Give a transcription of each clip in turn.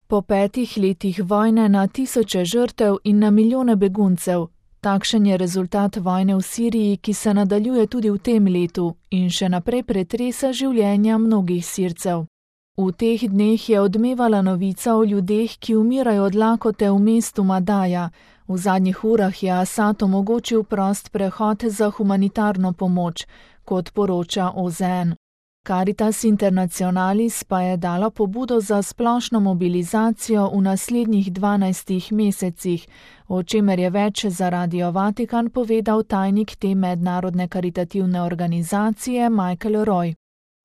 Po 5 letih vojne na tisoče žrtev in na milijone beguncev. Takšen je rezultat vojne v Siriji, ki se nadaljuje tudi v tem letu in še naprej pretresa življenja mnogih Sircev. V teh dneh je odmevala novica o ljudeh, ki umirajo od lakote v mestu Madaja. V zadnjih urah je Asad omogočil prost prehod za humanitarno pomoč, kot poroča OZN. Caritas Internationalis pa je dala pobudo za splošno mobilizacijo v naslednjih 12 mesecih, o čemer je več za Radio Vatikan povedal tajnik te mednarodne karitativne organizacije Michael Roy.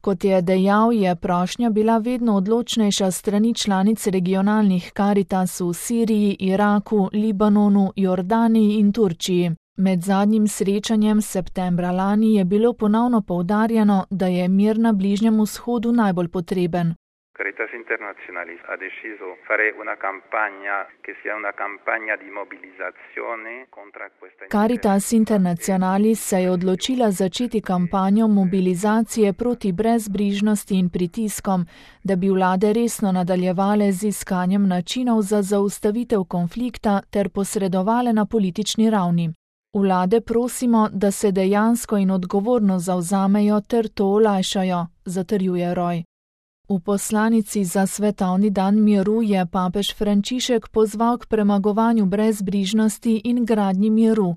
Kot je dejal, je prošnja bila vedno odločnejša strani članic regionalnih Caritas v Siriji, Iraku, Libanonu, Jordaniji in Turčiji. Med zadnjim srečanjem septembra lani je bilo ponovno poudarjeno, da je mir na Bližnjem vzhodu najbolj potreben. Caritas Internationalis ha deciso fare una campagna che sia una campagna di mobilizzazione contro questa. Caritas Internationalis se je odločila začeti kampanjo mobilizacije proti brezbrižnosti in pritiskom, da bi vlade resno nadaljevale z iskanjem načinov za zaustavitev konflikta ter posredovale na politični ravni. Vlade prosimo, da se dejansko in odgovorno zavzamejo ter to olajšajo, zatrjuje Roy. V poslanici za svetovni dan miru je papež Frančišek pozval k premagovanju brezbrižnosti in gradnji miru.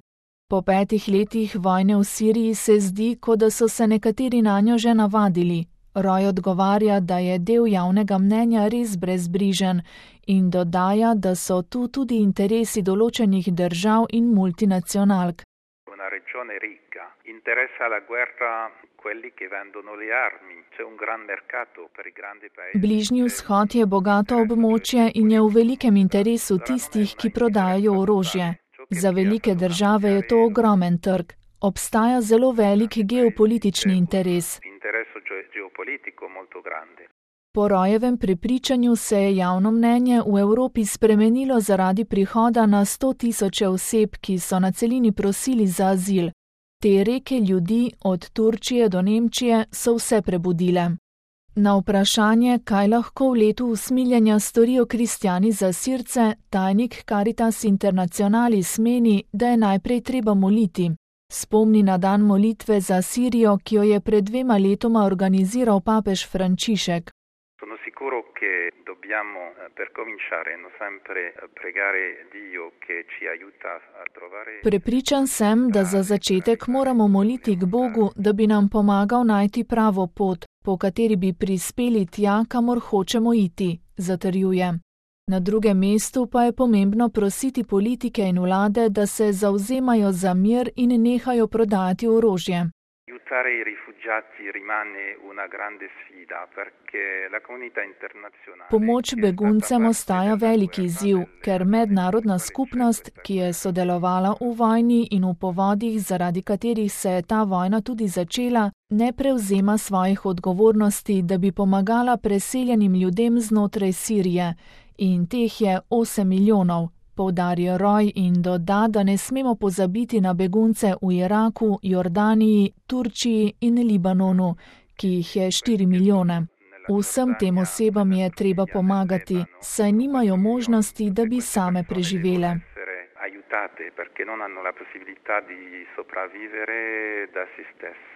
Po 5 letih vojne v Siriji se zdi, kot da so se nekateri nanjo že navadili. Roy odgovarja, da je del javnega mnenja res brezbrižen in dodaja, da so tu tudi interesi določenih držav in multinacionalk. Una regione ricca, interessa la guerra quelli che vendono le armi, c'è un gran mercato per i grandi paesi. Bližnji vzhod je bogato območje in je v velikem interesu tistih, ki prodajajo orožje. Za velike države je to ogromen trg. Obstaja zelo velik geopolitični interes. Po Royevem prepričanju se je javno mnenje v Evropi spremenilo zaradi prihoda na 100.000 oseb, ki so na celini prosili za azil. Te reke ljudi, od Turčije do Nemčije, so vse prebudile. Na vprašanje, kaj lahko v letu usmiljenja storijo kristjani za Sirce, tajnik Caritas Internationalis meni, da je najprej treba moliti. Spomni na dan molitve za Sirijo, ki jo je pred 2 letoma organiziral papež Frančišek. Sono sicuro che dobbiamo per cominciare sempre pregare Dio che ci aiuta a trovare. Prepričan sem, da za začetek moramo moliti k Bogu, da bi nam pomagal najti pravo pot, po kateri bi prispeli tja, kamor hočemo iti, zatrjuje. Na drugem mestu pa je pomembno prositi politike in vlade, da se zavzemajo za mir in nehajo prodajati orožje. Aiutare i rifugiati rimane una grande sfida perché la comunità internazionale. Pomoč beguncem ostaja veliki izziv, ker mednarodna skupnost, ki je sodelovala v vojni in v povodih, zaradi katerih se je ta vojna tudi začela, ne prevzema svojih odgovornosti, da bi pomagala preseljenim ljudem znotraj Sirije. In teh je 8 milijonov, poudarja Roy in doda, da ne smemo pozabiti na begunce v Iraku, Jordaniji, Turčiji in Libanonu, ki jih je 4 milijone. Vsem tem osebam je treba pomagati, saj nimajo možnosti, da bi same preživele. Aiutate perché non hanno la possibilità di sopravvivere da se stesse.